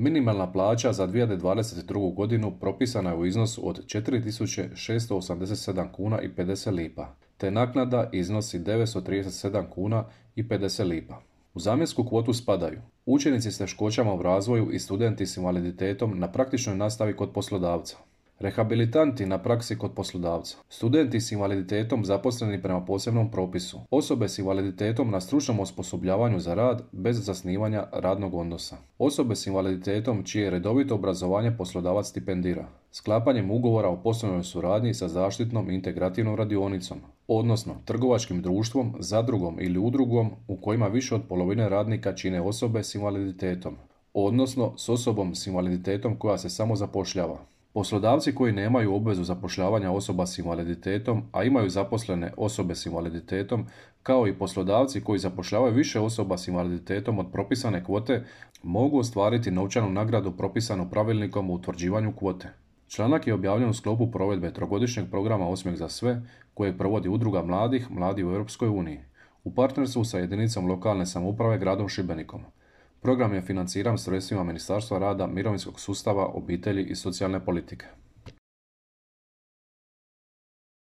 Minimalna plaća za 2022. godinu propisana je u iznosu od 4.687 kuna i 50 lipa, te naknada iznosi 937 kuna i 50 lipa. U zamjensku kvotu spadaju učenici s teškoćama u razvoju i studenti s invaliditetom na praktičnoj nastavi kod poslodavca, rehabilitanti na praksi kod poslodavca, studenti s invaliditetom zaposleni prema posebnom propisu, osobe s invaliditetom na stručnom osposobljavanju za rad bez zasnivanja radnog odnosa, osobe s invaliditetom čije redovito obrazovanje poslodavac stipendira, sklapanjem ugovora o poslovnoj suradnji sa zaštitnom i integrativnom radionicom, odnosno trgovačkim društvom, zadrugom ili udrugom u kojima više od polovine radnika čine osobe s invaliditetom, odnosno s osobom s invaliditetom koja se samo zapošljava. Poslodavci koji nemaju obvezu zapošljavanja osoba s invaliditetom, a imaju zaposlene osobe s invaliditetom, kao i poslodavci koji zapošljavaju više osoba s invaliditetom od propisane kvote, mogu ostvariti novčanu nagradu propisanu pravilnikom o utvrđivanju kvote. Članak je objavljen u sklopu provedbe trogodišnjeg programa Osmijeh za sve, kojeg provodi Udruga mladih, Mladi u Europskoj uniji, u partnerstvu sa jedinicom lokalne samouprave gradom Šibenikom. Program je financiran sredstvima Ministarstva rada, mirovinskog sustava, obitelji i socijalne politike.